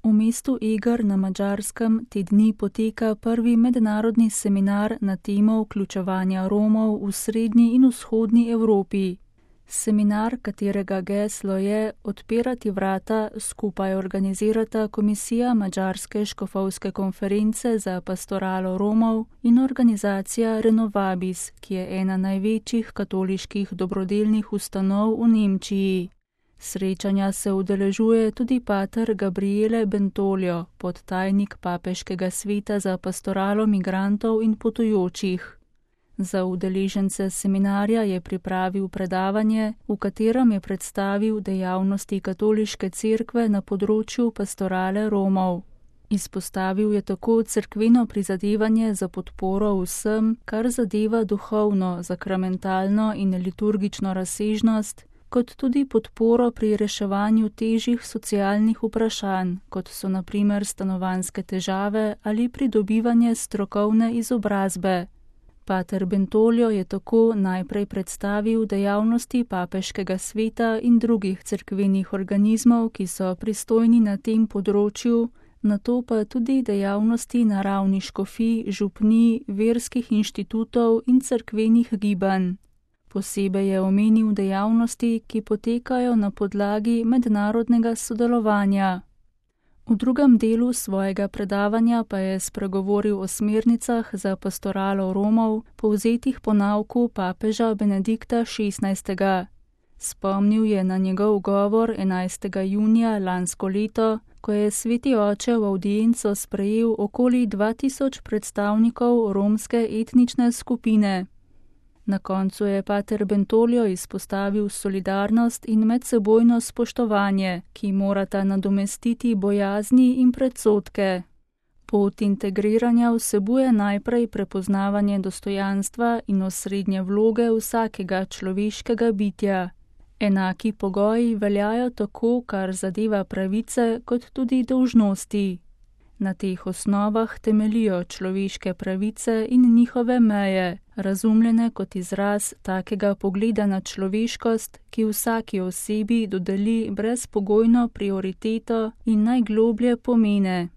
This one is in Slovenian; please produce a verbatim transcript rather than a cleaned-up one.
V mestu Eger na Madžarskem te dni poteka prvi mednarodni seminar na temo vključevanja Romov v srednji in vzhodni Evropi. Seminar, katerega geslo je Odpirati vrata, skupaj organizirata Komisija Madžarske škofovske konference za pastoralo Romov in organizacija Renovabis, ki je ena največjih katoliških dobrodelnih ustanov v Nemčiji. Srečanja se udeležuje tudi pater Gabriele Bentolio, podtajnik Papeškega sveta za pastoralo migrantov in potujočih. Za udeležence seminarja je pripravil predavanje, v katerem je predstavil dejavnosti katoliške cerkve na področju pastorale Romov. Izpostavil je tako cerkveno prizadevanje za podporo vsem, kar zadeva duhovno, sakramentalno in liturgično razsežnost, kot tudi podporo pri reševanju težjih socialnih vprašanj, kot so na primer stanovanjske težave ali pridobivanje strokovne izobrazbe. Pater Bentolio je tako najprej predstavil dejavnosti Papeškega sveta in drugih cerkvenih organizmov, ki so pristojni na tem področju, nato pa tudi dejavnosti na ravni škofij, župnij, verskih inštitutov in cerkvenih gibanj. Posebej je omenil dejavnosti, ki potekajo na podlagi mednarodnega sodelovanja. V drugem delu svojega predavanja pa je spregovoril o smernicah za pastoralo Romov, povzetih po nauku papeža Benedikta šestnajstega. Spomnil je na njegov govor enajstega junija lansko leto, ko je sveti oče v avdienco sprejel okoli dva tisoč predstavnikov romske etnične skupine. Na koncu je pater Bentolio izpostavil solidarnost in medsebojno spoštovanje, ki morata nadomestiti bojazni in predsodke. Pot integriranja vsebuje najprej prepoznavanje dostojanstva in osrednje vloge vsakega človeškega bitja. Enaki pogoji veljajo tako, kar zadeva pravice, kot tudi dolžnosti. Na teh osnovah temelijo človeške pravice in njihove meje, razumljene kot izraz takega pogleda na človeškost, ki vsaki osebi dodeli brezpogojno prioriteto in najgloblje pomene.